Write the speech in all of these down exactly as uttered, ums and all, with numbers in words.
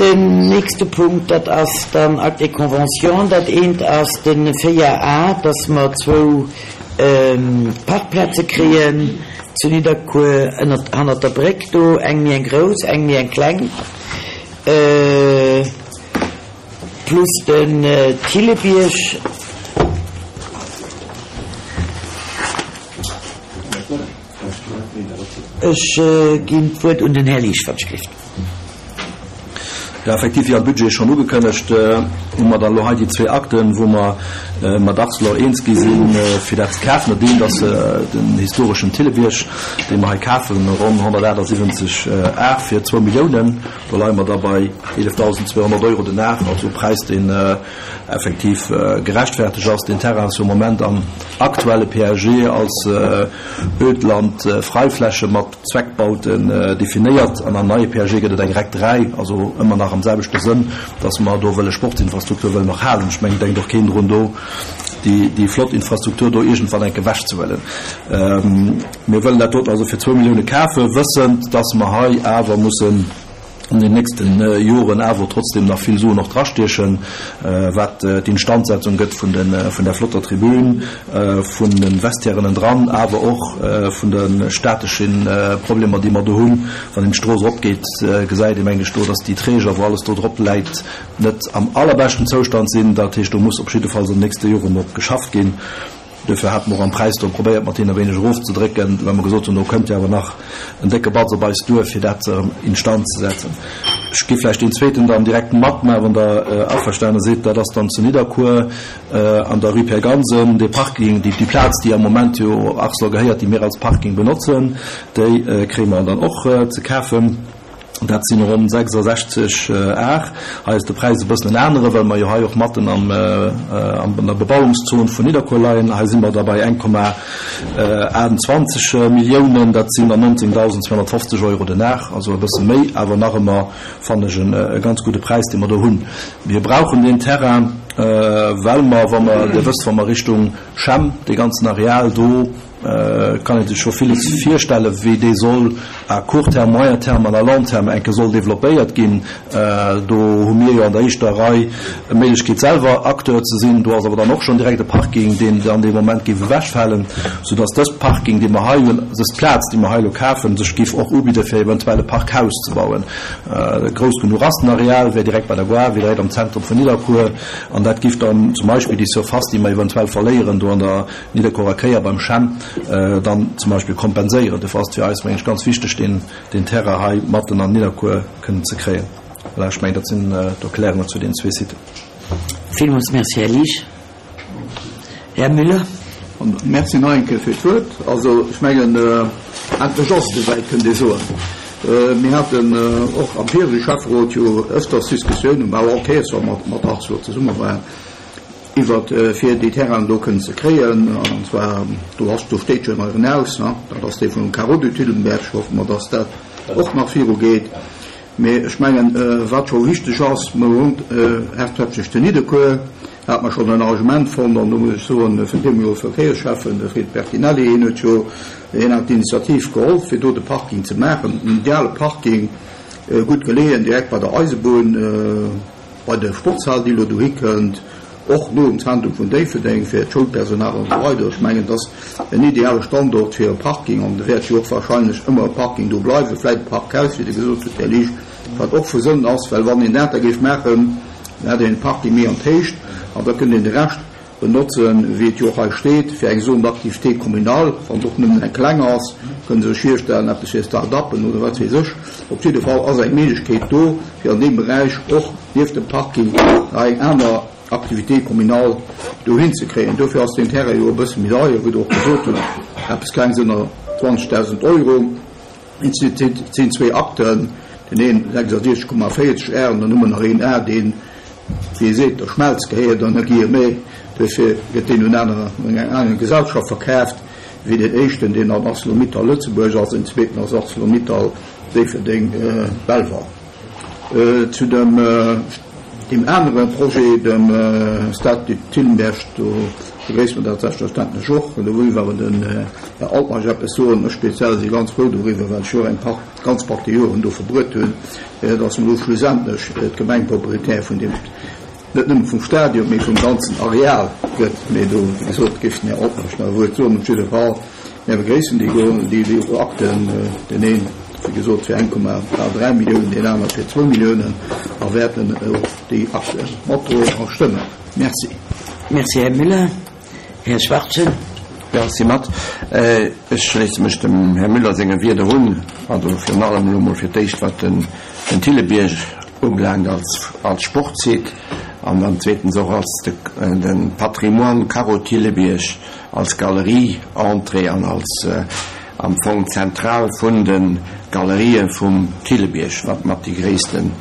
Den nächste Punkt, dat ass dann Acte et Convention. Dat eent ass de véier A, dass mer zwou Parkplaze kréien zu Nidderkuer ënnert, hannert der Bréck do, eng méi eng grouss, eng méi eng kleng, plus den Thillebierg. Ech ginn d'Wuert un den Här Liesch, wann ech gelift. Jo, effektiv, wéi am Budget schonn ugekënnegt, hu mer dann elo hei déi zwee Akten, wou mer mat Arcelor eens gi sinn, fir dat ze kafen. Dat eent ass den historeschen Thillebierg, dee mer hei kafen, ronn honnertaachtsiwwenzeg Ar fir zwou Milliounen. Do leie mer da bei eelefdausendzweehonnert Euro den Ar, also e Präis, deen effektiv gerechtfertegt ass. Deen Terrain ass jo am Moment am aktuelle P A G als Ödland-Freifläche mat Zweckbauten definéiert an am neie P A G gëtt et eng REC dräi, also ëmmer nach am selwechte Sënn, dass mer do wëlle Sportsinfrastruktur wëllen och halen. Ech mengen, denkt och keen drun, do déi, déi flott Infrastruktur do iergendwann enke wechzehuelen. Mir wëllen dat doten also fir zwou Millioune kafen, wëssend, dass mer hei awer mussen an den nächsten Joren awer trotzdem nach vill Suen och drastiechen, wat d'Instandsetzung gëtt vun den, vun der flotter Tribün, vun den Vestiairen dran, awer och vun de stateschen Problemer, déi mer do hunn. Wann een d'Strooss eropgeet, gesäit ee, meng ech, do, dass déi Träger, wou alles do drop läit, net am allerbeschten Zoustand sinn. Dat heescht, do muss op jiddefalls an den nächste Joren drop geschafft ginn. Dofir hate mer och am Präis do probéiert, mat deenen e wéineg erofzedrécken, well mer gesot hunn, do kënnt jo awer nach en décke Batz op eis duer, fir dat erëm instand ze setzen. Ech gi vläicht deen zweeten dann direkt mat, mä wann Der averstane sidd, dat ass dann zu Nidderkuer an der Rue Pierre Gansen, dee Parking, déi Plaz, déi am Moment jo Arcelor gehéiert, déi mir als Parking benotzen, déi kréie mer dann och ze kafen. Dat sinn ronn sechsasechzeg Ar. Hei ass de Präis e bëssen en anere, well mer jo hei och matten am, an der Bebauungszon vun Nidderkuer leien. Hei si mer da bei eng Komma achtundzwanzeg Milliounen. Dat sinn dann nonzéngdausendzweehonnertfofzeg Euro den Ar, also e bësse méi, awer nach ëmmer fannen ech e ganz gudde Präis, dee mer do hunn. Mir brauchen deen Terrain, well mer, wa mer, Dir wësst, wa mer Richtung Chem, dee ganzen Areal do, kann een sech scho villes virstellen, wéi dee soll à court terme, moyen terme an à long terme enke soll développéiert ginn. Do hu mir jo an der éischter Rei Méiglechkeet selwer Acteur ze sinn. Do ass awer dann och schonn direkt e Parking, deen an deem Moment géif ewechfalen, soudass dës Parking, dee mer hei hunn, dës Plaz, déi mer hei elo kafen, sech géif och ubidde fir eventuell e Parkhaus ze bauen. Grouss genuch ass den Areal, wär direkt bei der Gare, wär direkt am Zentrum vun Nidderkuer, an dat géif dann zum Beispill déi Surface, déi mer eventuell verléieren do an der Nidderkuerer Kéier beim Chem, dann zum Beispill kompenséieren. Dofir ass et fir eis, mengen ech, ganz wichteg, den, den Terrain hei matten an Nidderkuer kënnen ze kréien. Voilà, ech mengen, dat sinn d'Erklärungen zu den zwee Siten. Villmools Merci, Här Liesch. Här Müller. Merci nach eng Kéier fir d'Wuert. Also, ech mengen, endlech ass et esouwäit, kënnt ee soen. Mir haten och am viregte Schäfferot jo öfters Diskussiounen, mä och all Kéiers, wa mer mat Arcelor zesumme waren, iwwer fir déi Terrainen do kënnen ze kréien. An zwar, do ass, do steet jo en euren Haus, ne? Dat ass dee vum Carreau du Thillenberg. Hoffe mer, dass dat och nach virugeet. Mee ech mengen, wat scho wichteg ass, mer hunn haaptsächlech den Nidderkuer, hat mer schonn en Arrangement fonnt, an do muss ech soen, vun deemol Verkéierscheffen, de Fred Bertinelli, hien huet jo, hien hat d'Initiativ geholl, fir do de Parking ze maachen, en ideale Parking, gutt geleeën, direkt bei der Eisebunn, bei der Sportshal, déi elo dohi kënnt, och no um Zentrum vun Déifferdeng fir d'Schoulpersonal an esou weider. Ech mengen, dat ass en ideale Standort fir e Parking, an do wäert jo och wahrscheinlech ëmmer e Parking do bleiwen, vläicht e Parkhaus, wéi Der gesot hutt, Här Liesch, wat och vu Sënn ass, well wann een dat da géif maachen, dann hätt een e Parking méi an d'Héicht, an da kënnt een de Rescht benotzen, wéi et jo och hei steet, fir eng Zone d'activité communale, wann et och nëmmen eng kleng ass, kënne se sech virstellen, eppes fir Start-uppen oder wat weess ech. Op jidde Fall ass eng Méiglechkeet do, fir an deem Beräich och nieft dem Parking nach eng aner Activité communale dohin ze kréien. Dofir ass den Terrain jo e bësse méi deier, wéi Der och gesot hutt, eppes klengs ënner zwanzegdausend Euro. Et sinn zwee Akten, den een sechsundsiechzeg Komma véierzeg Ar an dann hu mer nach een Ar, deen, wéi ee seet, der Schmelz gehéiert an der Guillemets. Dofir gëtt deen un aner, un eng aner Gesellschaft verkaaft, wéi deen éischten, deen an ArcelorMittal Lëtzebuerg ass, den zweeten ass ArcelorMittal Déifferdeng Belval. Zu dem, deem anere Projet, dem Stade du Thillenberg, do Begréisse mer dat selbstverständlech och. An do wëll ech awer den Här Altmeisch eppes soen. Ech speziell si ganz frou doriwwer, well ech jo eng Part, ganz Partie Joren do verbruet hunn, dass mer do schlussendlech d'Gemeng Propriétaire vun deem, net nëmme vum Stadion, mee vum ganzen Areal gëtt. Mee do, wéi gesot, géif den Här Altmeisch nach e Wuert soen. Op jidde Fall, mir begréissen déi, déi, déi Akten, deen een, wéi gesot, fir eng Komma bal dräi Milliounen, deen aner fir zwou Milliounen, a wäerten och déi Akte matdroen a stëmmen. Merci. Merci, Här Müller. Här Schwarzen. Merci mat. Ech schléisse mech dem Här Müller senge Wierder un, also virun allem elo mol fir d'éischt wat den Thillebierg ubelaangt als als Sportsite an dann zweetens och als de de Patrimoine Carreau Thillebierg als Galerie-Entrée an als am Fong d'Zentral vun de Galerië vum Thillebierg, wat mat déi gréissten,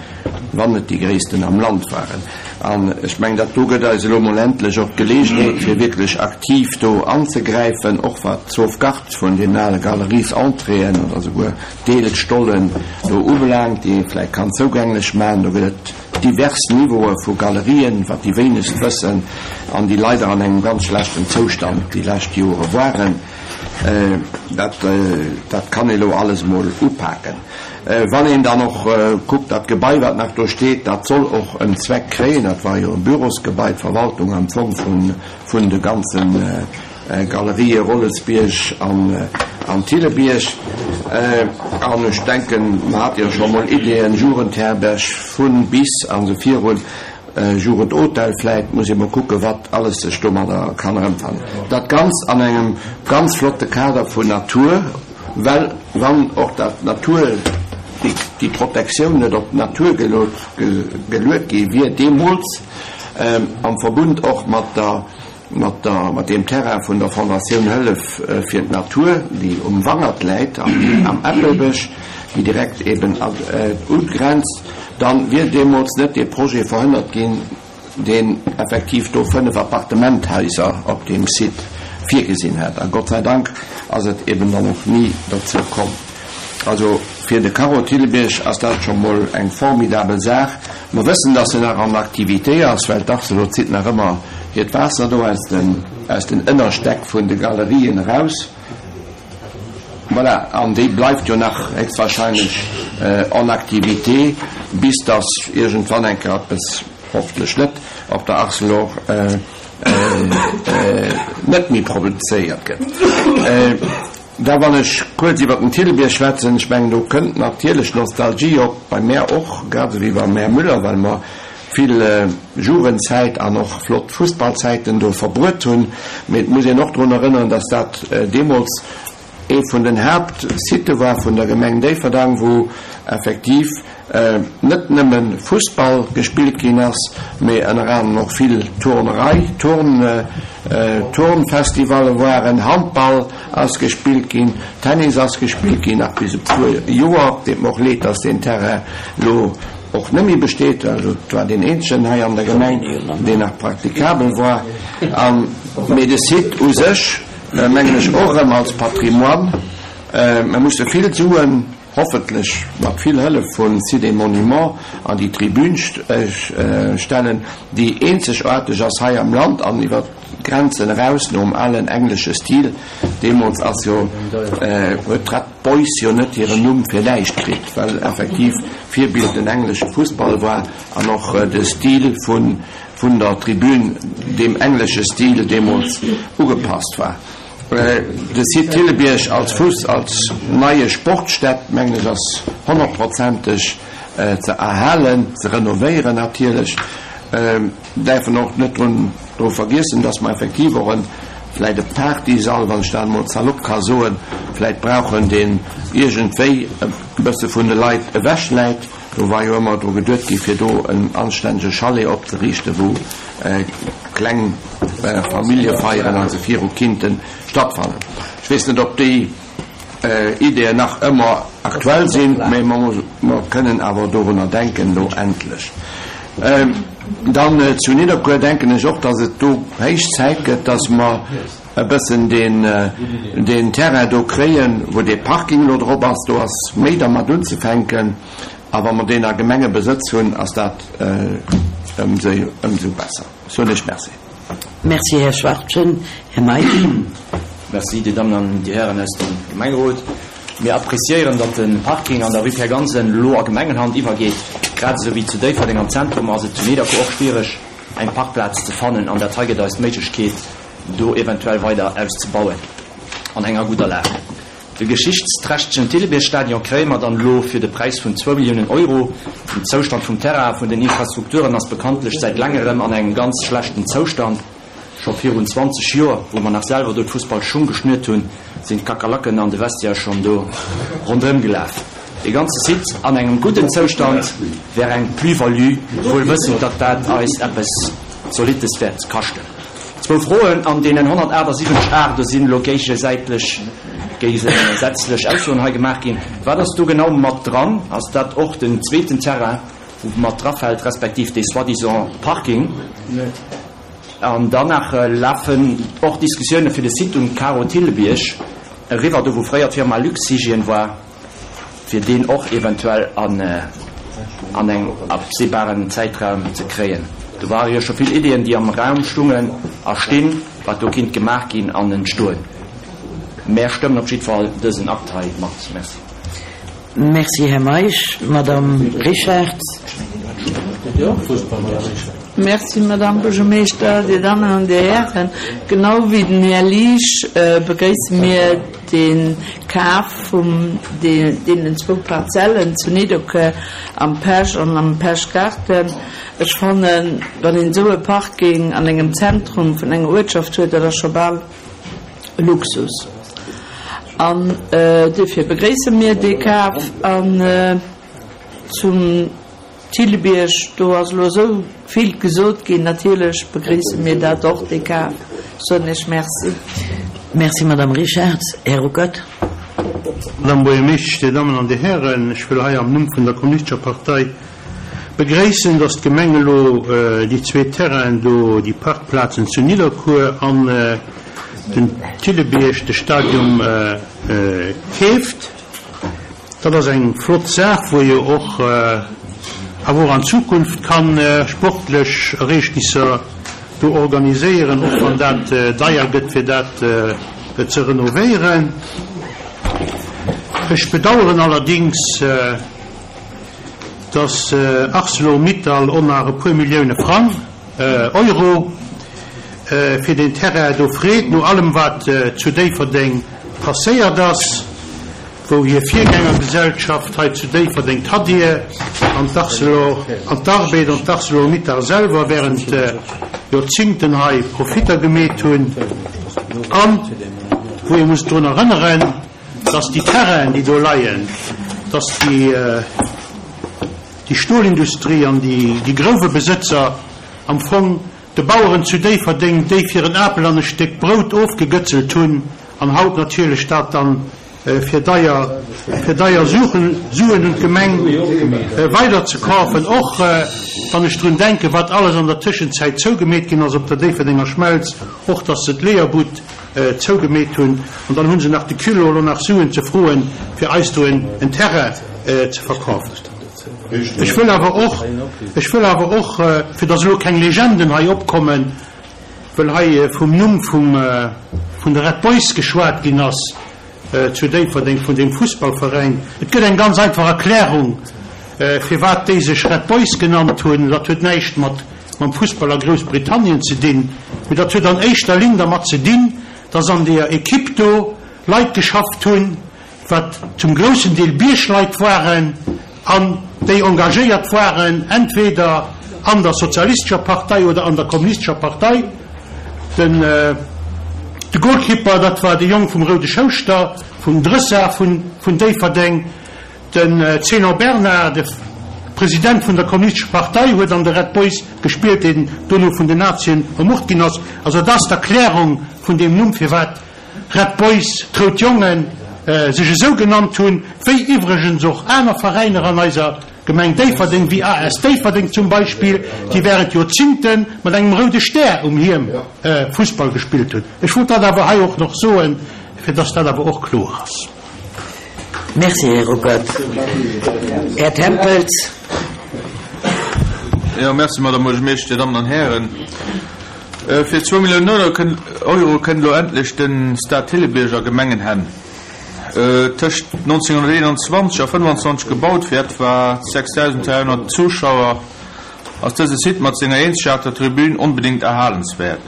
wann net déi gréissten am Land waren. An ech mengen, dat do gëtt eis elo mol endlech och d'Geleegenheet, fir wierklech aktiv do anzegräifen, och wat d'Sauvegarde vun deenen ale Galeries-Entréeën oder souguer Deelstollen do ubelaangt, déi ee vläicht kann zougänglech maachen. Do gëtt et divers Niveaue vu Galerien, wat déi wéinegst wëssen, an déi leider an engem ganz schlechten Zoustand déi lescht Jore waren. Dat, dat kann ee lo alles mol upaken. Wann een dann och kuckt, dat Gebai, wat nach do steet, dat soll och en Zweck kréien. Dat war jo e Bürosgebai, d'Verwaltung am Fong vun, vun de ganze Galerië Rollesbierg an, an Thillebierg. An ech denken, mer hate jo scho mol Ideeën, Jugendherberg vun bis an esou virun. Jugendhotel vläit, muss ee mol kucken, wat alles sech domadder kann erëmfannen. Dat Ganzt an engem ganz flotte Kader vun Natur, well wann och dat Natur, déi, déi Protektioun net op d'Natur gelot, geluet gi wier deemools, am Verbund och mat der, mat der, mat deem Terrain vun der Fondatioun Hëllef fir d'Natur, déi um Wangert läit, am, am Äppelbësch, déi direkt eben ugrenzt, dann wier deemools net dee Projet verhënnert ginn, deen effektiv do fënnef Appartementhaiser op deem Site virgesinn hätt. A Gott sei Dank ass et eben dann och ni dozou komm. Also fir de Carreau Thillebierg ass dat scho mol eng formidabel Saach. Mer wëssen, dass en nach an Aktivité ass, well d'Arcelor zitt nach ëmmer hiert Waasser do aus den, aus den Ënnerstäck vun de Galerien eraus. Voilà, an déi bleift jo nach héchstwahrscheinlech en activité, bis dass iergendwann eng Kéier eppes, hoffentlech net, op der Arcelor net méi produzéiert gëtt. Da wann ech kuerz iwwer den Thillebierg schwätzen, ech mengen, do kënnt natierlech Nostalgie op, bei mär och, grad esou wéi beim Här Müller, well mer vill Jugendzäit an och flott Fussballzäiten do verbruet hunn. Mee et muss een och drun erënneren, dass dat deemools ee vun den Haaptsitte war vun der Gemeng Déifferdang, wou effektiv net nëmme Fussball gespillt ginn ass, mee ënner anerem och vill Turnerei, Turn, Turnfestivalle waren, Handball ass gespillt ginn, Tennis ass gespillt ginn, nach bis e puer Joer. Deet mer och leed, dass deen Terrain elo och net méi besteet, well et war deen eenzegen hei an der Gemeng, deen nach praktikabel war. An, mee de Site u sech, mengen ech och erëm als Patrimoine, mer musse vill Suen, hoffentlech mat vill Hëllef vun Sites et Monuments, an déi Tribün stellen, déi eenzegaarteg ass hei am Land an iwwer d'Grenzen eraus, nom alen englesche Stil. Deemools ass jo, huet d'Red Boys jo net hiren Numm fir näischt kritt, well effektiv Virbild den englesche Fussball war an och de Stil vun, vun der Tribün dem englesche Stil deemools ugepasst war. De Site Thillebierg als Fuss, als neie Sportstätt, mengen ech, ass honnertprozenteg ze erhalen, ze renovéieren natierlech. Däerfen och net drun, dru vergiessen, dass mer effektiv och en, vläicht e Partysall, wann ech dat emol salopp ka soen, vläicht brauchen, deen iergendwéi e bësse vun de Leit ewech läit. Do war jo ëmmer dru geduet gi fir do en anstännege Chalet opzeriichten, wou kleng Familljefeieren, also viru Kinnten, stattfannen. Ech weess net, ob déi Ideeën nach ëmmer aktuell sinn, mee mer, mer kënnen awer dorunner denken, lo endlech. Dann zu Nidderkuer denken ech och, dass et do héich Zäit gëtt, dass mer e bëssen deen, deen Terrain do kréien, wou dee Parking lo drop ass. Do ass méi dermat unzefänken, a wa mer deen a Gemengebesëtz hunn, ass dat ëmsou, ëmsou besser. Soen ech Merci. Merci, Här Schwachtgen. Här Meisch. Merci, Dir Dammen an Dir Hären aus dem Gemengerot. Mir appreciéieren, datt de Parking an der Rue Pierre Gansen elo a Gemengenhand iwwergeet. Grad esou wéi zu Déifferdeng am Zentrum ass et zu Nidderkuer och schwiereg, eng Parkplaz ze fannen an dat hei gëtt eis d'Méiglechkeet, do eventuell weider auszebauen an enger gudder Lag. De geschichtsträchtegen Thillebiérg-Stadion kréie mer dann elo fir de Präis vun zwou Milliounen Euro. Den Zoustand vum Terrain a vun den Infrastrukturen ass bekanntlech säit längerem an engem ganz schlechten Zoustand. Scho virun zwanzeg Joer, wou mer nach selwer do d'Fussballschung geschnürt hunn, sinn d'Kakerlaken an de Vestiaire schonn do ronderëm gelaf. Dee ganze Site an engem gudden Zoustand wär eng Plus-value, wuel wëssend, datt dat eis eppes Zolittes wäert kaschten. Zwou Froen, An deenen honnertaachtsiwwenzeg Ar, do sinn elo géigesäitlech, géigesätzlech Aussoen hei gemaach ginn. Wat ass do genau mat dran? Ass dat och den zweeten Terrain, wou mat drafält, respektiv dee soi-disant Parking? An dann nach lafen och Diskussioune fir de Site um Karo Thillebierg eriwwer, do wou fréier d'Firma Luxhygiène war, fir deen och eventuell an an engem absehbaren Zäitraum ze kréien. Do ware jo scho vill Iddien, déi am Raum stungen a stinn, wat do kinnt gemaach ginn an entstoen. Mär stëmmen op jiddwer Fall dësen Akt hei mat. Merci. Merci, Här Meisch. Madame Richartz. Merci, Madame Buergermeeschter, Dir Dammen an Dir Hären. Genau wéi den Här Liesch begréisse mir de Kaf vum deenen zwou Parzellen zu Nidderkuer am Pesch an am Peschgarten. Ech fannen, wann een esou e Parking an engem Zentrum vun enger Uertschaft huet, dat ass scho bal e Luxus. An duerfir begréisse mir dee Kaf. An zum Thillebierg, do ass elo esou vill gesot ginn. Natierlech begréisse mir dat och, dee Kaf. Soen Iech Merci. Merci, Madame Richartz. Här Ruckert. Madame Buergermeeschtesch, Dir Dammen an Dir Hären, ech wëll hei am Numm vun der Kommunistescher Partei begréissen, dass d'Gemeng elo déi zwee Terrainen do, déi Parkplazen zu Nidderkuer an den Thillebierg, de Stadium, keeft. Dat ass eng flott Saach, wou jo och awer och an Zukunft ka sportlech Ereegnisser do organiséieren, och wann dat deier gëtt, fir dat ze renovéieren. Ech bedauern allerdings, dass Arcelor-Mittal och nach e puer Millioune Frang, Euro, fir deen Terrain do freet, no allem wat zu Déifferdeng passéiert ass, wou hir Virgängergesellschaft hei zu Déifferdeng d'Hadir an d'Arcelor, an d'Arbed an d'Arcelor-Mittal selwer während Joerzingten hei Profitter gemeet hunn an wou ee muss drun erënneren, dass déi Terrainen, déi do leien, dass déi déi Stolindustrie an déi déi Grouwebesëtzer am Fong de Baueren zu Déifferdeng déi fir en Apel an e Stéck Brout ofgegëtzelt hunn an haut natierlech dat dann fir deier fir deier Suen Suen un d'Gemeng weiderzekafen, och wann ech drun denken, wat alles an der Tëschenzäit zougemeet ginn ass op der Déifferdenger Schmelz, och dass se d'Leeërbud zougemeet hunn, an dann hu se nach de Culot, elo nach Suen ze froen, fir eis do en Terrain ze verkafen. Ech wëll awer och, ech wëll awer och, fir dass elo keng Legenden hei opkommen, wëll hei vum Numm vum vun de Red Boys geschwat ginn ass zu Déifferdeng, vun deem Fussballveräin. Et gëtt eng ganz einfach Erklärung, firwat déi sech Red Boys genannt hunn. Dat huet näischt mat mam Fussball a Groussbritannien ze dinn, mee dat huet an éischter Linn dermat ze dinn, dass an deeër Equipe do Leit geschafft hunn, wat zum groussen Deel Biergleit waren an déi engagéiert waren, entweder an der sozialistescher Partei oder an der kommunistescher Partei. Den de Goalkeeper, dat war de Jong vum Roude Schouschter, vum Drëssar vun vun Déifferdeng. Den Zénon Bernard, de President vun der kommunistescher Partei, huet an de Red Boys gespillt, deen dono vun den Nazien ermort ginn ass. Also dat ass d'Erklärung vun deem Numm, firwat Red Boys, d'Rout Jongen, sech esou genannt hunn, wéi iwwregens och aner Veräiner an eiser Gemeng Déifferdeng, wéi A S Déifferdeng zum Beispill, déi während Joerzingte mat engem roude Stär um Hiem Fussball gespillt hunn. Ech wollt dat awer hei och nach soen, fir dass dat awer och kloer ass. Merci, Här Ruckert. Här Tempels. Jo, merci, Madame Buergermeeschter, Dir Dammen an Hären. Fir zwou Milliounen Euro kënnt elo endlech de Stade Thillebierg a Gemengenhänn. Tëscht nonzénghonnerteenanzwanzeg a fënnefanzwanzeg gebaut fir etwa sechsdausend dräihonnert Zuschauer, ass dëse Site mat senger eenzegaarteger Tribün onbedéngt erhalenswäert.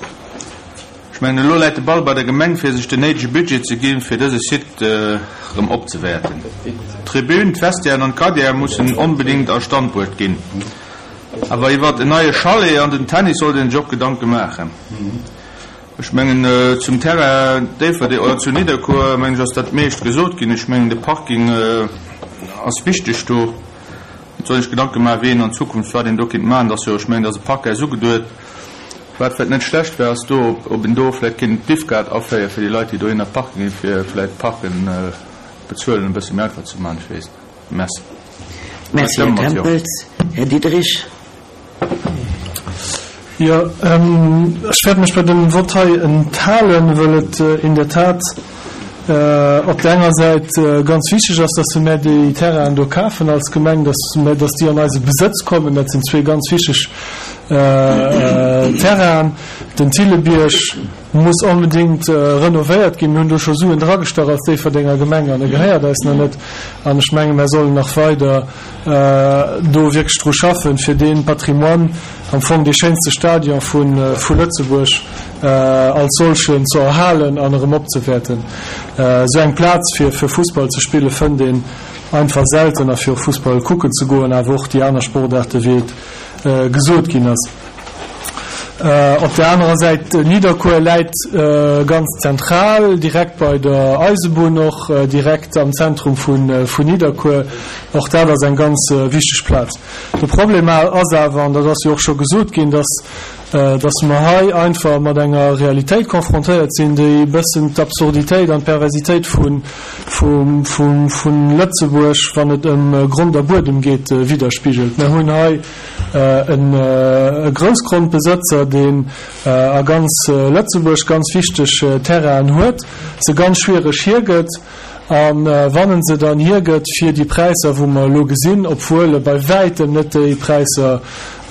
Ech mengen, elo läit de Ball bei der Gemeng fir sech den néidege Budget ze ginn, fir dëse Site erëm opzewäerten. D'Tribün, d'Vestiairen an d'Gardiere mussen onbedéngt a Stand bruecht ginn. Awer iwwert en neie Chalet an den Tennis sollt een sech och Gedanke maachen. Ech mengen, zum Terrain Déifferdeng oder zu Nidderkuer, mengen ech, ass dat meescht gesot ginn. Ech mengen, de Parking ass wichteg do. Et soll ee sech Gedanke maachen, wéi een an Zukunft, wat een do kéint maachen. Et ass jo, ech mengen, et ass e Parkhaus ugeduet. Wat vläicht net schlecht wär, ass do, ob een do vläicht kéint d'Diffkaart aféieren fir déi Leit, déi dohinner parke ginn, fir vläicht d'Parken bezuelen e bësse méi einfach ze maachen. Ech weess net. Merci. Merci, Här Tempels. Här Diderich. Jo, ech wäert mech bei dem Vott hei enthalen, wëll et in der Tat op der enger Säit ganz wichteg ass, dass mär déi Terrainen do kafen als Gemeng, dass mär, dass déi an eise Besëtz kommen. Dat sinn zwee ganz wichteg Terrainen. Den Thillebierg muss onbedéngt renovéiert ginn. Mir hunn do scho Suen dragestach als Déifferdenger Gemeng an e gehéiert eis nach net. An ech menge mär sollen nach weider do wierklech dru schaffen, fir dee Patrimoine, am Fong dee schéinste Stadion vu Lëtzebuerg als solchen ze erhalen an erëm opzewäerten. Esou eng Plaz fir fir Fussball ze spille fënnt een einfach selten a fir och Fussball kucken ze goen, awer och déi aner Sportaarte wéi et gesot ginn ass. Op der anerer Säit, Nidderkuer läit ganz zentral, direkt bei der Eisebunn, och direkt am Zentrum vun Nidderkuer. Och dat ass eng ganz wichteg Plaz. De Problem ass awer, an dat ass jo och scho gesot ginn, dass dass mer hei einfach mat enger Realitéit konfrontéiert sinn, déi e bëssen d'Absurditéit an d'Perversitéit vun Lëtzebuerg, wann et ëm Grond a Buedem geet, widderspigelt. Mer hunn hei e Groussgrondbesëtzer, deen a ganz Lëtzebuerg ganz wichteg Terrainen huet, se ganz schwiereg hiergëtt, a wann en se dann hiergëtt fir déi Präisser, wou mer elo gesinn, obwuel e bei wäitem net déi Präisser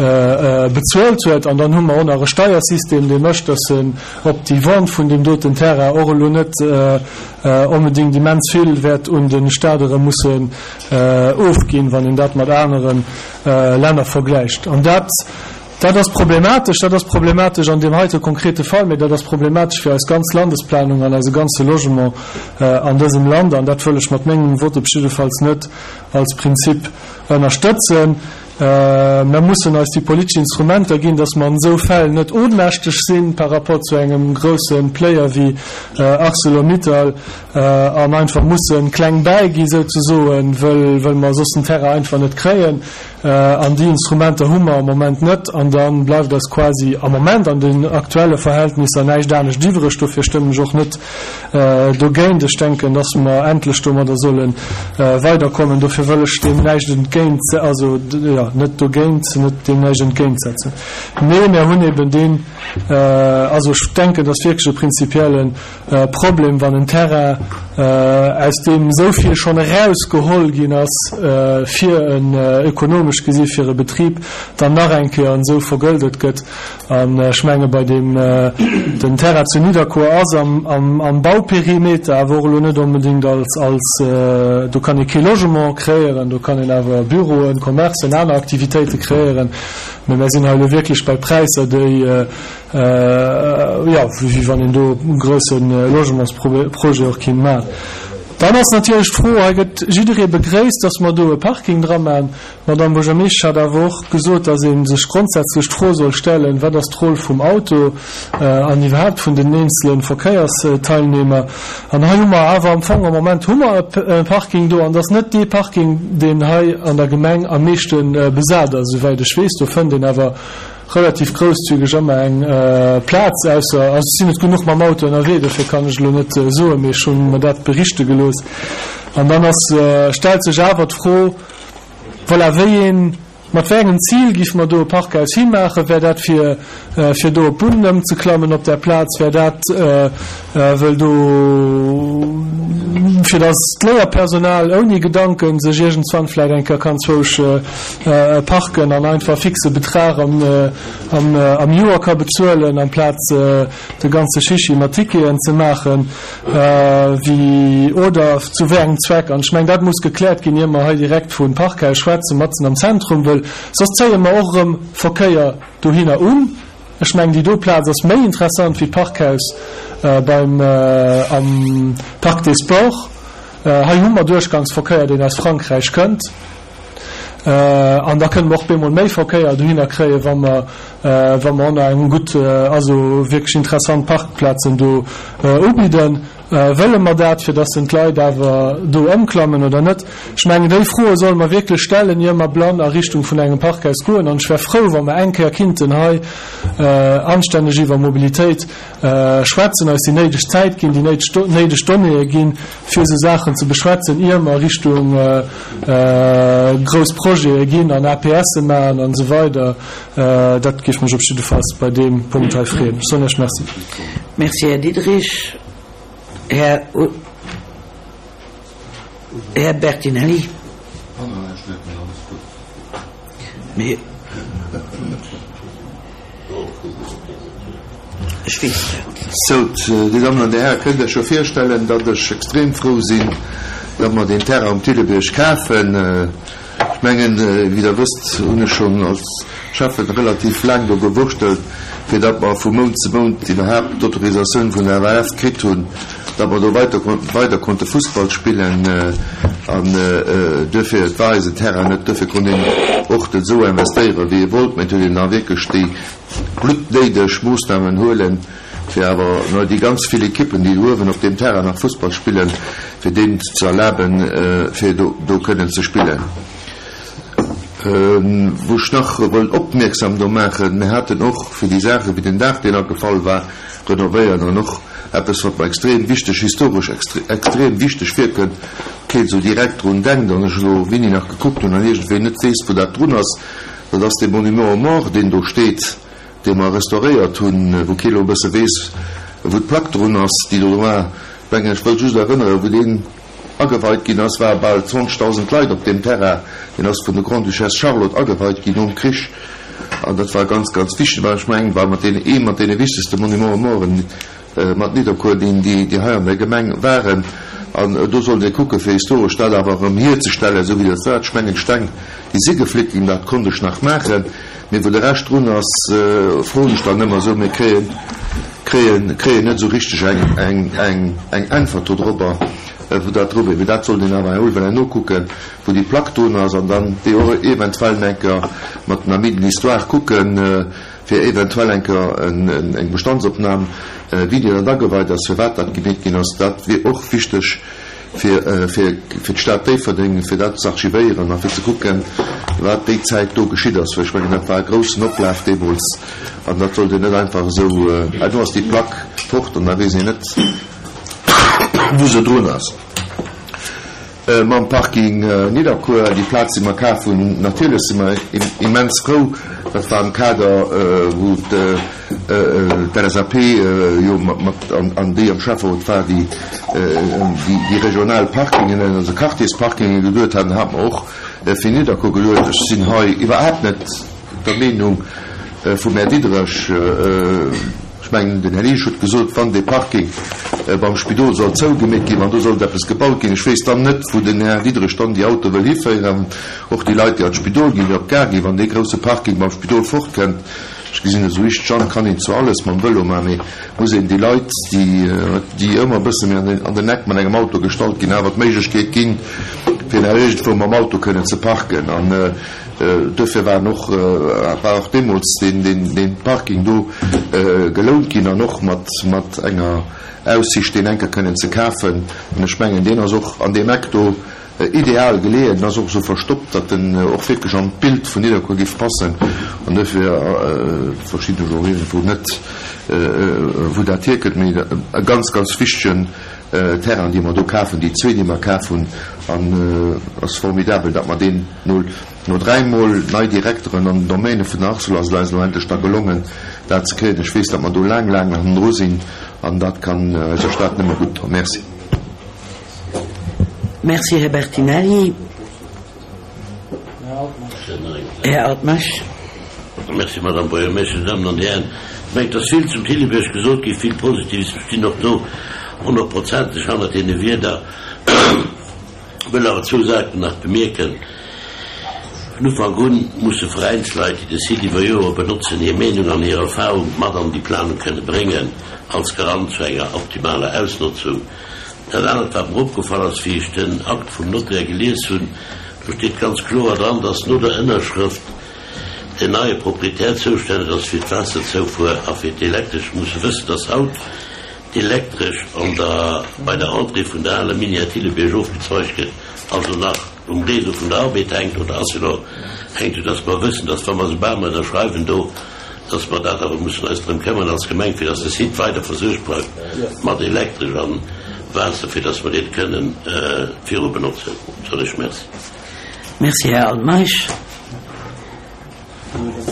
bezuelt huet, an dann hu mer och nach e Steiersystem, dee mécht, dass en op déi Vente vun deem doten Terrain och elo net onbedéngt immens vill wäert un de Stat erëm mussen ofginn, wann een dat mat anere Länner vergläicht. An dat, dat ass problematesch. Dat ass problematesch an deem heite konkrete Fall, mä dat ass problematesch fir eis ganz Landesplanung an eise ganze Logement an dësem Land. An dat wëll ech mat mengem Vote op jiddefalls net als Prinzip ënnerstëtzen. Mer mussen eis déi politesch Instrumenter ginn, dass mer an esou Fäll net ohnmächteg sinn par rapport zu engem grousse Player wéi Arcelor-Mittal an einfach mussen kleng bäigi souzesoen, wëll mer soss den Terrain einfach net kréien. An déi Instrumenter hu mer am Moment net. An da bleift eis quasi am Moment an den aktuelle Verhältnisser näischt anescht iwwreg. Dofir stëmmen ech och net dogéint. Ech denken, dass mer endlech domadder solle weiderkommen. Dofir wëll ech deem näischt entgéint, also jo, net dogéint, net deem näischt entgéintsetzen. Mee mir hunn eben deen, also ech denken, dass wierklech e prinzipielle Problem, wann en Terrain, aus deem esou vill schonn erausgeholl ginn ass, fir en ökonomesch gesi fir e Betrib, dann nach eng Kéier esou vergëldet gëtt. An ech menge bei deem, den Terrain zu Nidderkuer ass am Bauperimeter, awer och elo net onbedéngt als, als, do kann ee kee Logement kreéieren, do kann een awer Büroen, Commercen, aner Aktivitéite kreéieren. Mä mir sinn hei elo wierklech bei Präisser, déi, jo, wéi wann een do e grousse Logementsprojet och kinnt maachen. Dann ass natierlech d'Fro, hei gëtt jidderee begréisst, dass mer do e Parking dra maachen. D'Madame Buergermeeschtesch hat awer och gesot, dass ee sech grondsätzlech d'Fro soll stellen, Wat ass d'Roll vum Auto an iwwerhaapt vun den eenzele Verkéiersteilnehmer? An hei hu mer awer am Fong, am Moment hu mer e Parking do, an et ass net dee Parking, deen hei an der Gemeng am meeschte besat ass, esouwäit ech weess. Do fënnt een awer relativ grousszügeg ëmmer eng Plaz, ausser, also ech sinn net genuch mam Auto ënnerwee, dofir kann ech elo net soen, mee ech hu mer dat berichte gelooss. An dann ass, stellt sech awer d'Fro, voilà, wéi een, mat wéi engem Zil géife mer do e Parkhaus himaachen? Wär dat fir, fir do op Bunnen ëmzeklammen op där Plaz? Wär dat, wëll do Fir dass d'Léierpersonal ouni Gedanken sech iergendswann vläit eng Kéier kann zwousch parken an einfach fixe Betrag am am Joer ka bezuelen, amplaz de ganze Chichi mat Ticketen ze maachen, wéi oder zu wéi engem Zweck. An ech mengen, dat muss gekläert ginn, ier mer hei direkt vu Parkhaus schwätzen, matzen am Zentrum, wëll soss zéie mer och erëm Verkéier dohinner un. Ech mengen, déi do Plaz ass méi interessant wéi d'Parkhaus beim am Parc des Sports. Hei hu mer Duerchgangsverkéier, deen aus Frankräich kënnt. An da kënne mer och bemol méi Verkéier dohinner kréien, wa mer, wa mer och nach eng gutt, also wierklech interessant Parkplazen do ubidden. Wëlle mer dat, fir dass en d'Leit awer do ëmklammen oder net? Ech mengen, déi Froe solle mer wierklech stellen, ier mer blann a Richtung vun engem Parkhaus goen. An ech wär frou, wa mer eng Kéier kinnten hei anstänneg iwwer Mobilitéit schwätzen, eis déi néideg Zäit ginn, déi néideg Donnéeë ginn, fir esou Saachen ze beschwätzen, ier mer Richtung grouss Projete ginn an APSe maachen an esou weider. Dat géif mech op jiddefalls bei deem Punkt hei freeën. Ech soen Iech Merci. Merci, Här Diderich. Här, Här Bertinelli. Mee ech weess dat. Sou, Dir Dammen an Dir Hären, kënnt Iech jo virstellen, datt ech extrem frou sinn, datt mer deen Terrain um Thillebierg kafen. Ech mengen, wéi Der wësst, hunn ech schonn als Schäffen relativ laang do gewurschtelt, fir datt mer vu Mount zu Mount iwwerhaapt d'Autorisatioun vun der F A F kritt hunn, datt mer do weiter weider konnte Fussball spillen. An duerfir, et war eisen Terrain net, duerfir konnt een och net esou investéieren, wéi ee wollt, mä et huet een da wierklech déi bluttnéideg Moossnamen huelen, fir awer no déi ganz vill Ekippen, déi do uewen op deem Terrain nach Fussball spillen, fir deenen ze erlaben, fir do do kënnen ze spillen. Wou ech nach wëll opmierksam do maachen, Mir haten och fir déi Saache wéi den Daach, deen agefall war, renovéiert an och eppes, wat mer extrem wichteg, historesch extrem wichteg virkënnt, keen esou direkt drun denkt an ech elo wéini nach gekuckt hunn an iergendwéi net weess, wou dat drun ass, dat ass dee Monument aux morts, deen do steet, dee mer restauréiert hunn, wou kee lo e bësse weess, wou d'Plack drun ass, déi do war. Mengen, ech wëll just erënneren, wou deen ageweit ginn ass, ware bal zwanzegdausend Leit op deem Terrain. Deen ass vun der Grande-Duchesse Charlotte ageweit ginn nom Krich. An dat war ganz, ganz wichteg, well ech mengen, war mat deene, ee mat deene wichtegste Monuments aux morts mat Nidderkuer, deen déi, déi hei an der Gemeng waren. An do sollt ee kucken, fir historesch dat awer erëm hierzestellen, esou wéi dat war. Ech mengen, d'Steng, déi si gefléckt ginn, dat konnt ech nach maachen. Mee wou de Rescht drun ass, froen ech dann ëmmer esou, mir kréien, kréien, kréien net esou richteg eng, eng, eng, eng Äntwert dodrobber, wou dat dru wier. Mee dat sollt een awer emol wëllen nokucken, wou déi Plack drun ass, an dann déi och eventuell eng Kéier mat den Amis de l'histoire kucken, fir eventuell eng Kéier eng Bestandsopnam, wéi déi dann ageweit ass, firwat dat gemeet ginn ass. Dat wier och wichteg fir, fir, fir d'Stad Déifferdeng, fir dat ze archivéieren a fir ze kucken, wat déi Zäit do geschitt ass. Well ech mengen, dat war e groussen Oplaf deemools an dat sollt een net einfach esou, ah, do ass déi Plack fort an da weess een net, wou se drun ass. Mam Parking Nidderkuer, déi Plaz, déi mer kaf hunn, natierlech si mer immens frou. Dat war am Kader, wou d'L S A P jo mat an déi am Schäfferot war, déi déi regional Parkingen, also Quartiersparkinge geduet haten, hat mer och fir Nidderkuer geduet. Ech sinn hei iwwerhaapt net der Meenung vum Här Diderich. Ech mengen, den Här Liesch huet gesot, wann dee Parking beim Spidol soll zougemeet ginn, wann do sollt eppes gebaut ginn, ech weess dann net, wou den Här Diderich dann déi Autoe wëll hiféieren, och déi Leit, déi an d'Spidol ginn, déi op d'Gare ginn, wann dee grousse Parking beim Spidol fortkënnt. Ech gesinn esou richteg an, kann een zwar alles mam Vëlo maachen, mee muss een déi Leit, déi, déi ëmmer e bësse méi an den, an den Eck mat engem Auto gestallt ginn, awer d'Méiglechkeet ginn, fir nach iergendwou mam Auto kënnen ze parken. An duerfir waren och, war och deemools deen, deen, deen Parking do gelount ginn an och mat, mat enger Aussicht, deen enker kënnen ze kafen. An ech mengen, deen ass och an deem Eck do ideal geleeën, en ass och esou verstoppt, datt en och wierklech an d'Bild vun Nidderkuer géif passen. An duerfir verstinn ech och iergendwou net, wou dat hierkënnt. Mee e ganz, ganz wichtegen Terrain, dee mer do kafen, déi zwee, déi mer kaf hunn, an ass formidabel, datt mer deen no, no dräimol nei Direkteren an den Domäne vun der Arcelor ass et eis elo endlech da gelongen, dat ze kréien. Ech weess, datt mer do laang, laang hannendru sinn, an dat kann eiser Stad nëmme gutt doen. Merci. Merci, Här Bertinelli. Här Altmeisch. Merci, Madame Buergermeeschtesch, Dir Dammen an Dir Hären. Ech mengen, et ass vill zum Thillebiërg gesot ginn, vill Positives. Ech stinn och do honnertprozenteg hannert deene Wierder. Wëll awer zwou Saachen nach bemierken. Vun Ufank un musse Veräinsleit, déi de Site iwwer Joere benotzen, hir Meenung an hir Erfahrung mat an déi Planung kënne bréngen, als Garant zu enger optimaler Ausnotzung. Dat anert, wat mer opgefall ass, wéi ech den Akt vum Notaire gelies hunn, do steet ganz kloer dran, dass no der Ënnerschrëft den neie Proprietär zoustänneg ass fir d'Waasserzoufuer a fir d'Elektresch. Musse wëssen, dass haut d'Elektresch an der, bei der Entrée vun der aler Minière Thillebierg ofgezweigt gëtt, also nach um Réseau vun der Arbed hänkt oder Arcelor hänkt, soudass mer wëssen, dass wa mer soubal mer ënnerschreiwen do, dass mer dat awer mussen eis drëm këmmern als Gemeng, fir dass de Site weider versuergt bleift mat Elektresch a Waasser, fir dass mer dee kënnen viru benotzen. Soen ech Merci. Merci, Här Altmeisch.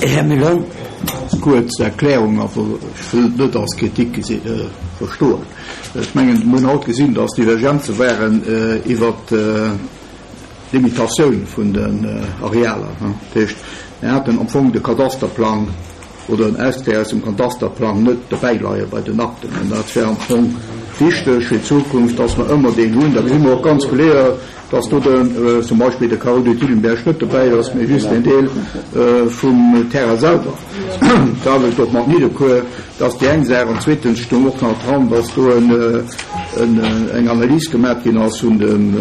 Här Müller. Ganz kuerz Erklärung, also ech wëll et net als Kritik verstoen. Ech mengen, mir hunn haut gesinn, dass Divergenze waren iwwert d'Limitatioun vun den Arealer. Dat heescht, mir haten am Fong de Kadasterplang oder en Extrait aus dem Kadasterplang net dobäileie bei den Akten. An dat wär am Fong wichteg fir d'Zukunft, dass mer ëmmer deen hunn. Da gesi mer och ganz kloer, dass do den, zum Beispill de Carreau de Thillenberg net dobäi ass, mee just en Deel vum Terrain selwer. D'Aarbecht och mat Nidderkuer, dat ass déi eng Saach. An zweetens stoung och nach dran, dass do eng Analys gemaach ginn ass vun dem,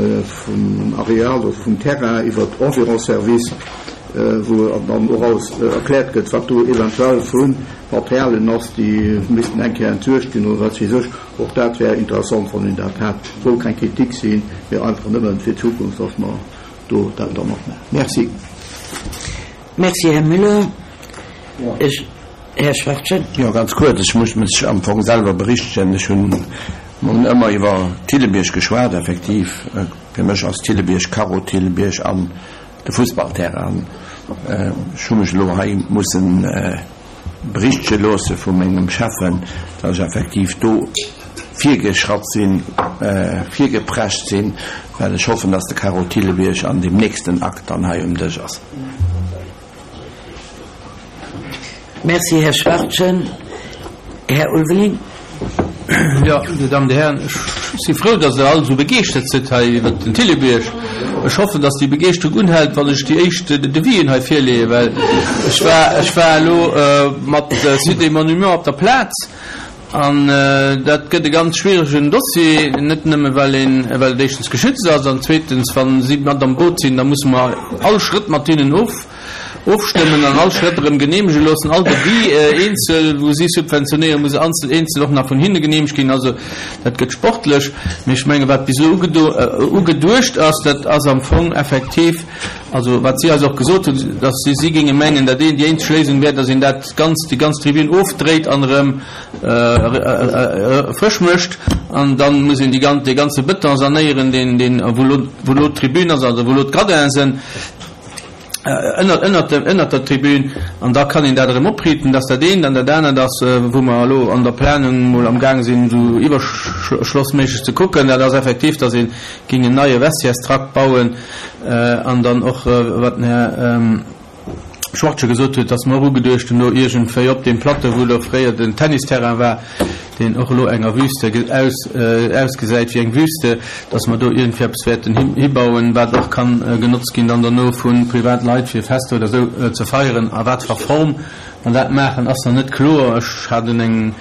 vum Areal oder vum Terrain iwwer d'Environservice, wou dann och alles erkläert gëtt, wat do eventuell vu Materialien ass, déi missten eng Kéier entsuergt ginn oder wat weess ech. Och dat wär interessant, wann een dat hätt. Soll keng Kritik sinn, mee einfach nëmmen fir d'Zukunft, dass mer do dat dann och maachen. Merci. Merci, Här Müller. Ech, Här Schwachtgen. Jo, ganz kuerz. Ech muss mech am Fong selwer berichtegen. Ech hunn, mer hunn ëmmer iwwer Thillebierg geschwat, effektiv. Fir mech ass Thillebierg Carreau Thillebierg an de Fussballterrain. Ech hu mech elo hei mussen berichtege loosse vu mengem Schäffen, datt ech effektiv do virgeschratt sinn, virgeprescht sinn, well ech hoffen, datt de Carreau Thillebierg an deem nächsten Akt dann hei um Dësch ass. Merci, Här Schwachtgen. Här Ulveling. Jo, Dir Dammen, Dir Hären, ech si frou, datt Der all esou begeeschtert sidd hei iwwert den Thillebierg. Ech hoffen, datt déi Begeeschterung unhält, wann ech déi éischt Devisen hei virleeën, well ech war, ech war elo mat Sites et Monuments op der Plaz an dat gëtt e ganz schwieregen Dossier, net nëmme well een, well et éischtens geschützt ass an zweetens, wa si mat am Boot sinn, da musse mer all Schrëtt mat hinnen of, ofstëmmen an all Schrëtt erëm geneemege loossen, all Devis eenzel, wou si subventionéieren, muss anzel eenzel och nach vun hinne geneemegt ginn. Also dat gëtt sportlech. Mee ech menge wat bis elo ugeduecht ass, dat ass am Fong effektiv, also wat si eis och gesot hunn, datt si si géinge mengen, dat een déi eenzeg Léisung wär, datt een dat ganz déi ganz Tribün ofdréit an erëm frësch mécht an dann muss een déi gan dee ganze Bëton sanéieren, deen deen wou elo wou elo d'Tribün ass, also wou elo d'Gradinen sinn. Ënnert, ënnert dem, ënnert der Tribün, an da kann een dat erëm opriiten. Dat ass dat eent. An dat anert ass, wou mer elo an der Planung emol amgaang sinn, esou iwwerschlossméisseg ze kucken, dat ass effektiv, datt ee géing en neie Vestiaires-Trakt bauen an dann och, wat den Här Schwachtgen gesot huet, datt mer och ugeduecht hunn, do iergendwéi op deem Plateau, wou do fréier den Tennisterrain war, deen och elo enger Wüste aus, ausgesäit wéi eng Wüste, datt mer do iergendwéi eppes wäerten hibauen, wat och kann genotzt ginn dann derno vu Privatleit, fir Fester oder esou ze feieren. A wat fir Form mer dat maachen, ass nach net kloer. Ech hat un eng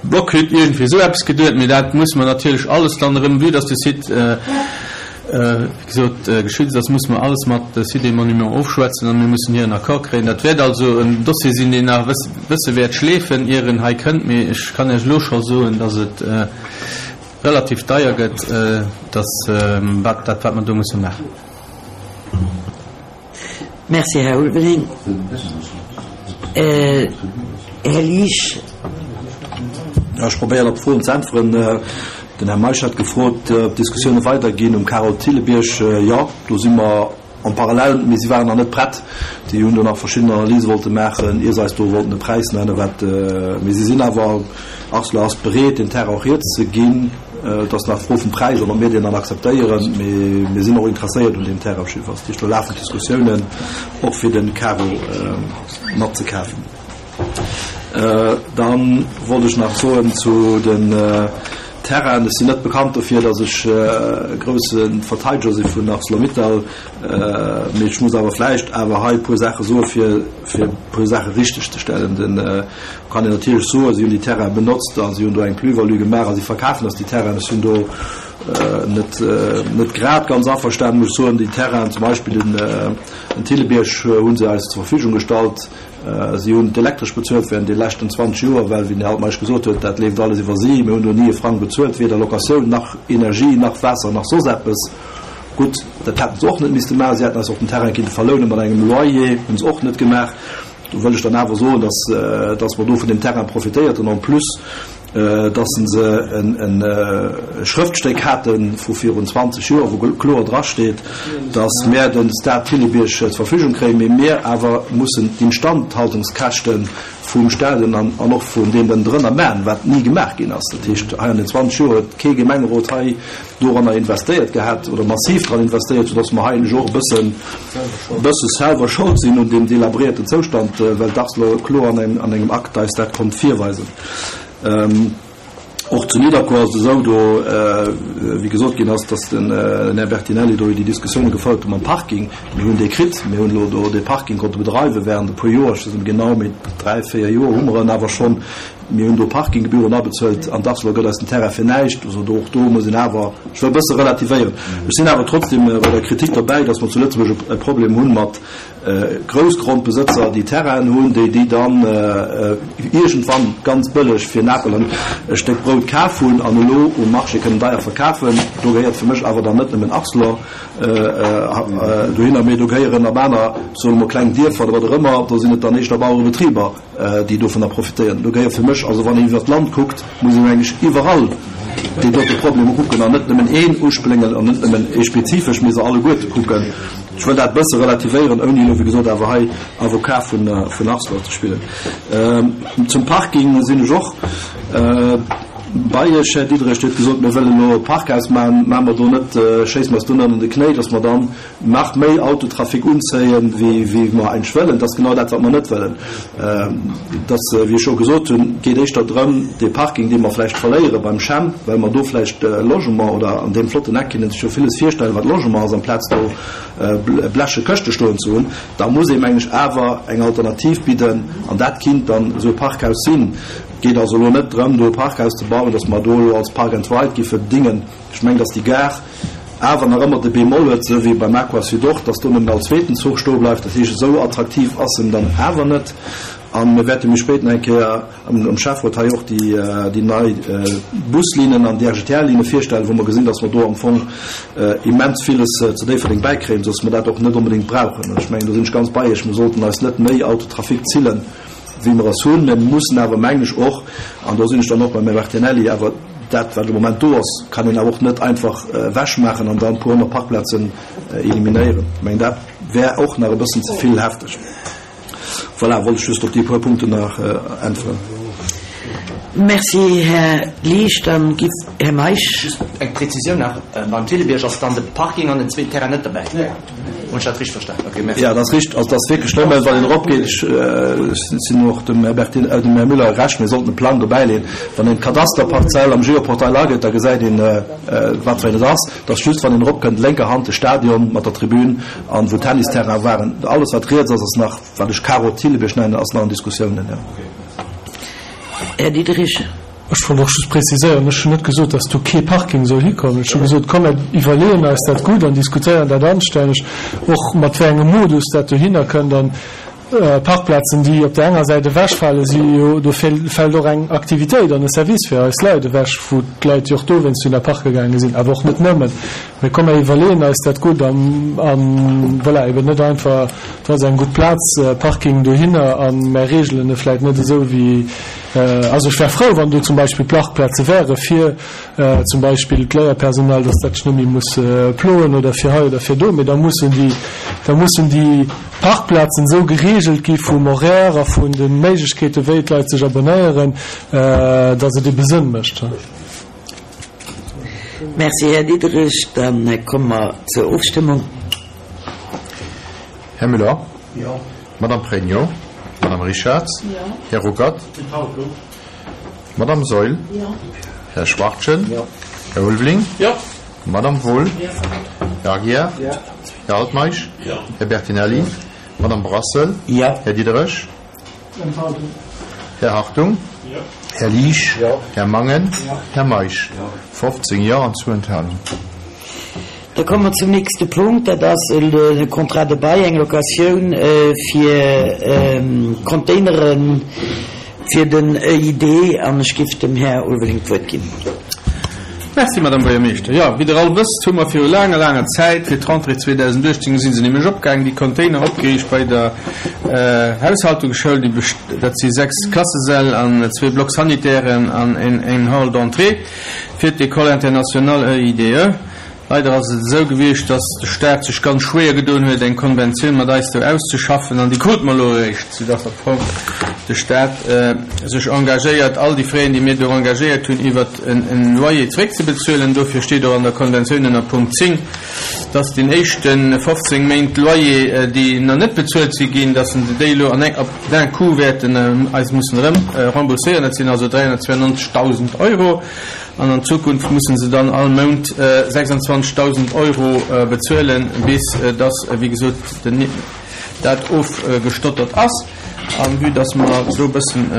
Blockhütt, iergendwéi esou eppes geduet, mee dat muss mer natierlech alles dann erëm, vue dass de Site, wéi gesot, geschützt ass, musse mer alles mat Sites et Monuments ofschwätzen a mir mussen hiren Accord kréien. Dat wäert also en Dossier sinn, deen nach e bësse wäert schleefen, ier en hei kënnt, mee ech kann Iech elo scho soen, dass et relativ deier gëtt, dass wat dat, wat mer do musse maachen. Merci, Här Ulveling. Här Liesch. Jo, ech probéieren op d'Froen ze äntweren. Den Här Meisch hat gefrot, ob d'Diskussioune weiderginn um Carole Thillebierg. Jo, do si mer en parallèle, mee si waren nach net prett. Déi hunn do nach verschidden Analyse wollte maachen, ier se eis do wollten e Präis nennen. Wat, mee si sinn awer, Arcelor ass bereet, den Terrain och hierzeginn. Et ass nach d'Fro vum Präis an ob mir deen dann akzeptéieren. Mee mir sinn och interesséiert un deem Terrain op jiddefalls. Dat heescht, do lafen d'Diskussiounen och fir de Karo matzekafen. Da wollt ech nach soen zu den Terrainen, ech sinn net bekannt dofir, datt ech e grousse Verteideger si vun Arcelor-Mittal, mee ech muss awer vläicht awer hei e puer Saache soe fir e puer Saache richtegzestellen. Den kann een natierlech soen, si hunn déi Terraine benotzt a si hunn do eng Plus-value gemaach a si verkafen eis déi Terrainen. Ech sinn do net net grad ganz averstanen, muss ech soen. Déi Terrainen, zum Beispill den den Thillebierg, hu se eis zur Verfügung gestallt. Si hunn d'Elektresch bezuelt während de leschten zwanzeg Joer, well, wéi den Här Altmeisch gesot huet, dat leeft alles iwwer si. Mir hunn do ni e Frang bezuelt, weder Locatioun nach Energie nach Waasser nach soss eppes. Gutt, dat hätten se och net misste maachen. Si hätten eis och den Terrain kinnte verlounen mat engem Loyer, hunn se och net gemaach. Do wëll ech dann awer soen, dass, dass mer do vun deem Terrain profitéiert hunn, en plus, dass se e Schrëftstéck hate vu virun zwanzeg Joer, wou kloer drasteet, dass mär de Stade Thillebierg zur Verfügung kréien, mee mir awer mussen d'Instandhaltungskäschte vum Stadion an och vun deem ënnendrënner maachen, wat ni gemaach ginn ass. Dat heescht, hei an den zwanzeg Joer huet kee Gemengerot hei doranner investéiert gehat oder massiv dran investéiert, soudass mer hei eigentlech och e bëssen, bësse selwer schold sinn un deem delabréierten Zoustand, well d'Arcelor kloer an engem Akt eis dat konnt virweisen. Och zu Nidderkuer ass et esou, do, wéi gesot ginn ass, dass den Här Bertinelli do déi Diskussioune gefouert huet mam Parking. Mir hunn dee kritt, mir hunn elo do dee Parking konnte bedreiwe während e puer Joer, ech weess net méi genau, mee dräi, véier Joer hu mer en awer schonn. Mir hunn do Parkinggebühren abezuelt an d'Arcelor gëtt eis den Terrain fir näischt. Also do, och do muss een awer, ech wëll e bësse relativéieren. Ech sinn awer trotzdem bei der Kritik derbäi, dass mer zu Lëtzebuerg e Problem hunn mat Groussgrondbesëtzer, déi Terrainen hunn, déi déi dann iergendwann ganz bëlleg fir en Apel an e Stéck Brout kaf hunn an elo um Marché kënnen deier verkafen. Do gehéiert fir mech awer dann net nëmmen Arcelor dohinner, mee do gehéieren ab aner, soe mer kleng Dierfer oder wat och ëmmer, do sinn et dann éischter Bauerebetriber, déi dovunner profitéieren. Do gehéiert fir mech, also wann een iwwert d'Land kuckt, muss een eigentlech iwwerall déi dote Problemer kucken an net nëmmen een uspléngen an net nëmmen ee spezifesch, mee se alleguerte kucken. Ech wëll dat e bësse relativéieren, ouni elo, wéi gesot, awer hei Avocat vun Arcelor ze spillen. Zum Parking sinn ech och bei Iech, Här Diderich. Dir hutt gesot, mir wëllen elo e Parkhaus maachen. Maache mer do net, schéisse mer eis do net an de Knéi, datt mer dann nach méi Autotrafic unzéien, wéi mer eigentlech wëllen? Dat ass genau dat, wat mer net wëllen. Et ass, wéi ech scho gesot hunn, geet éischter drëm, dee Parking, dee mer vläicht verléiere beim Chem, well mer do vläicht Logement oder an deem flotten Eck kinne sech jo villes virstellen, wat Logement ass, amplaz do bleche Këschte stoen ze hunn, da muss ee, mengen ech, awer eng Alternativ bidden an dat kinnt dann esou e Parkhaus sinn. Et geet also elo net drëm, do e Parkhaus ze bauen, datt mer do elo als Park and Ride giffe dingen. Ech mengen, datt déi Gare awer nach ëmmer de Bémol huet, esou wéi beim Aqua Sud och, datt do nëmmen all zweeten Zuch stoe bleift. Dat heescht, esou attraktiv ass en dann awer net. A mir wäerte méi spéit nach eng Kéier am Schäfferot hei och déi nei Buslinnen an déi R G T L-Linne virstellen, wou mer gesinn, datt mer do am Fong immens villes zu Déifferdeng bäikréien, sodass mer dat och net onbedéngt brauchen. An ech mengen, do sinn ech ganz bei Iech, mir sollten eis net méi Autotrafic zillen, wéi mer es hunn. Mir mussen awer, mengen ech och, an do sinn ech dann och beim Här Bertinelli, awer dat, wat de Moment do ass, kann een awer och net einfach ewechmaachen an dann e puer honnert Parkplazen eliminéieren. Ech mengen, dat wär och nach e bëssen ze vill hefteg. Voilà, wollt ech just op déi puer Punkten nach äntweren. Merci, Här Liesch. Dann giff Här Meisch. Just eng Präzisioun nach, Beim Thillebierg ass dann de Parking an den zweeten Terrain net derbäi? Hunn ech dat richteg verstan? Ok, merci. Jo, dat ass richteg. Also, dat ass wierklech nëmmen, wann een eropgeet. Ech sinn och dem Här Bertin, dem Här Müller Recht, mir sollten e Plang dobäileeën. Wann een d'Kadasterparzell am Geoportail agëtt, da gesäit een, wat fir een et ass. Dat ass just, wann een eropkënnt, lénker Hand de Stadion mat der Tribün an wou Tennisterraine waren. Alles, wat riets ass, ass nach, wat ech Karo Thillebierg nennen, ass nach an Diskussiounen, jo. Här Diderich. Ech wollt och just preziséieren, ech hunn net gesot, dass do kee Parking soll hikommen. Ech hu gesot, komm mer iwwerleeën eis dat gutt an diskutéieren dat anstänneg, och mat wéi engem Modus dat dohinner kënnt. An Parkplazen, déi op där enger Säit ewechfalen, si jo, do fält och eng Aktivitéit an e Service fir eis Leit ewech, wou d'Leit jo och dowéinst dunn a Parke gaange sinn, awer och net nëmmen. Mee komm mer iwwerleeën eis dat gutt an, an voilà, eben net einfach, do ass eng gutt Plaz, Parking dohinner a mer reegelen e vläicht net esou wéi, also ech wär frou, wann do zum Beispill Parkplaze wäre fir zum Beispill d'Léierpersonal, dass dat sech net méi muss ploen oder fir hei oder fir do, mee da mussen déi, da mussen déi Parkplazen esou gereegelt gi vum Horaire a vun de Méiglechkeeten, wéi d'Leit sech abonnéieren, dass et ebe Sënn mécht. Merci, Här Diderich. Dann komme mer zur Ofstëmmung. Här Müller? Jo. Madame Pregno? Madame Richarz? Jo. Här Ruckert? Enthaltung. Madame Saeul? Jo. Här Schwachtgen? Jo. Här Ulveling? Jo. Madame Wohl? Jo. Här Aguiar? Jo. Här Altmeisch? Jo. Här Bertinelli? Madame Brassel? Jo. Här Diderich? Enthaltung. Här Hartung? Jo. Här Liesch? Jo. Här Mangen? Jo. Här Meisch? fofzéng Jo an zwou Enthalungen. Da komme mer zum nächste Punkt, dat ass e Contrat de bail, eng Locatioun fir Containere fir den E I D an ech géif dem Här Ulveling d'Wuert ginn. Merci, Madame Buergermeeschter. Jo, wéi Der all wësst, hu mer viru laanger, laanger Zäit, fir d'Rentrée zweedausendachtzéng si se nämlech opgaangen, déi Container opgeriicht bei der Haushaltungsschoul. Déi best-, dat si sechs Klassesäll an zwee Blocs-sanitairen an en Hall d'entrée fir d'École internationale E I D E. Leider ass et esou gewiescht, dass de Staat sech ganz schwéier gedoen huet, eng Konventioun mat eis do auszeschaffen, an déi krute mer elo eréischt, soudass am Fong de Staat sech engagéiert, all déi Fräen, déi mir do engagéiert hunn, iwwert en Loyer zréckzebezuelen. Dofir steet och an der Konventioun ënner Punkt zéng, dass den éischte fofzéng Méint Loyer, déi nach net bezuelt si ginn, dass se déi elo an eng, op d'un coup wäerten eis mussen erëm rembourséieren. Dat sinn also dräihunnertzweiundneunzegdausend Euro. An an Zukunft mussen se dann all Mount sechsundzwanzegdausend Euro bezuelen, bis dass, wéi gesot, den, dat ofgestottert ass. An vue dass mer do e bëssen,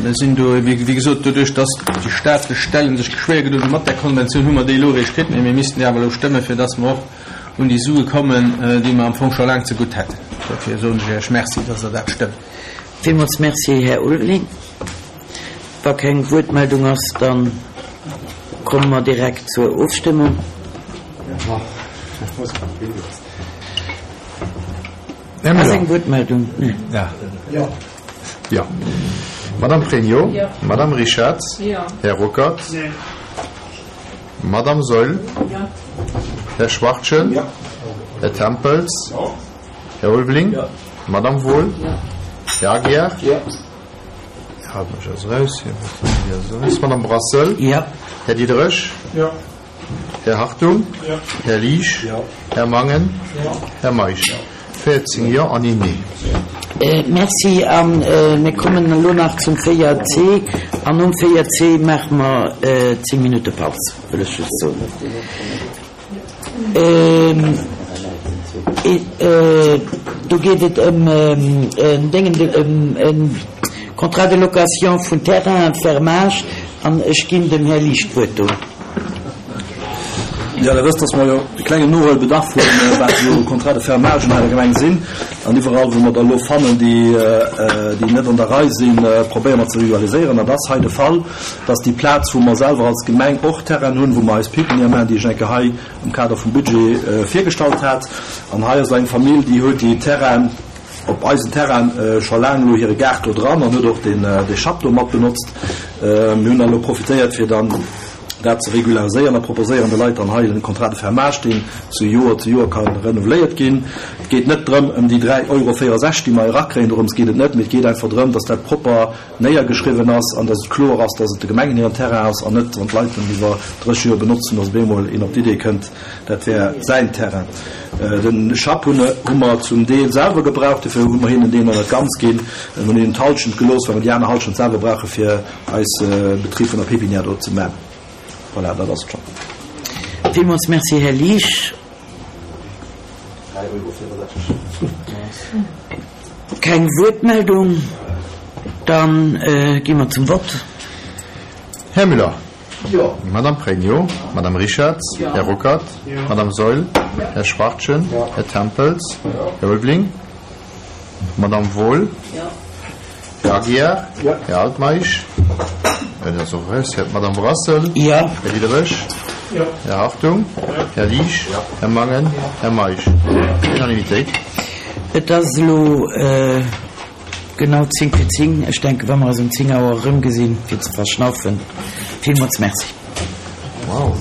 mir sinn do, wéi gesot, doduerch dass déi staatlech Stellen sech schwéier gedoen hu mat där Konventioun, hu mer déi elo eréischt kritt, mee mir missten déi awer elo stëmmen, fir dass mer och un déi Sue kommen, déi mer am Fong scho laang zegutt hätten. Dofir soen ech Iech Merci, dass Der dat stëmmt. Villmools Merci, Här Ulveling. Wa keng Wuertmeldung ass, dann komme mer direkt zur Ofstëmmung. Här Ass Müller. eng Wuertmeldung? Nee. Ja. Jo. Ja. Madame Pregno. Jo. Madame Richarz. Jo. Här Ruckert. Nee. Madame Saeul. Jo. Här Schwachtgen. Jo. Här Tempels. Jo. Här Ulveling. Jo. Madame Wohl. Jo. Här Aguiar. Jo. Här Altmeisch ass raus. Här Bertinelli ass raus. Madame Brassel. Jo. Här Diderich. Jo. Här Hartung. Jo. Här Liesch. Jo. Här Mangen. Jo. Här Meisch. Véierzéng Jo an een Nee. Merci. An mir kommen elo nach zum véier C. An nom véier C maache mer zéng Minutte Paus, wëll ech just soen. Do geet et ëm en Déngen, ëm e Contrat de location vun Terrain fermage. An ech ginn dem Här Liesch d'Wuert do. Jo, Der wësst, dass mer jo e klengen Nohuelbedarf hunn, wat esou Contrats de fermage an eiser Gemeng sinn. An iwwerall, wou mer der elo fannen, déi, déi net an der Rei sinn, probéiere mer ze regulariséieren. An dat ass hei de Fall, dass déi Plaz, wou mer selwer als Gemeng och Terrain hunn, wou mer eis Pépinière maachen, déi ech eng Kéier hei am Kader vum Budget virgestallt hat. An hei ass eng Famill, déi huet déi Terrain op eisen Terrain scho laang elo hire Gaart do dran an huet och den, de Schapp do mat benotzt. Mir hunn dann elo profitéiert, fir dann dat ze regulariséieren a proposéieren de Leit dann hei en Contrat de fermage, deen zu Joer zu Joer ka renouveléiert ginn. Et geet net drëm ëm déi dräi Euro véierundsechzeg, déi mer erakréien, dorëms geet et net, mee et geet einfach drëm, dass dat propper néiergeschriwwen ass an dass et kloer ass, dass et de Gemengen hiren Terrain ass an net, wann d'Leit den iwwer dréisseg Joer benotzen, dass op eemol een op d'Idee kënnt, dat wär säin Terrain. Den Schapp hunn, hu mer zum Deel selwer gebraucht, dofir hu mer hinnen deen nach net ganz ginn. Mir hunn hinnen d'Hallschent gelooss, well mer déi aner Hallschent selwer brauche fir eis Betrib vun der Pépinière do ze man. Voilà, dat ass et schonn. Villmools Merci, Här Liesch. Keng Wuertmeldung, dann gi mer zum Vott. Här Müller. Jo. Madame Pregno, Madame Richarz, Jo. Här Ruckert, Jo. Madame Saeul, Jo. Här Schwachtgen, Jo. Här Tempels, Jo. Här Ulveling, Madame Wohl, Jo. Här Aguiar, Jo. Här Altmeisch, dat ass och raus, Här Madame Brassel, Jo. Här Diderich, Jo. Här Hartung, Här Liesch, Här Mangen, Här Meisch. Unanimitéit. Et ass elo genau zéng fir zéng. Ech denken, wa mer eis um zéng Auer erëmgesinn, fir ze verschnaufen. Villmools Merci. Wow.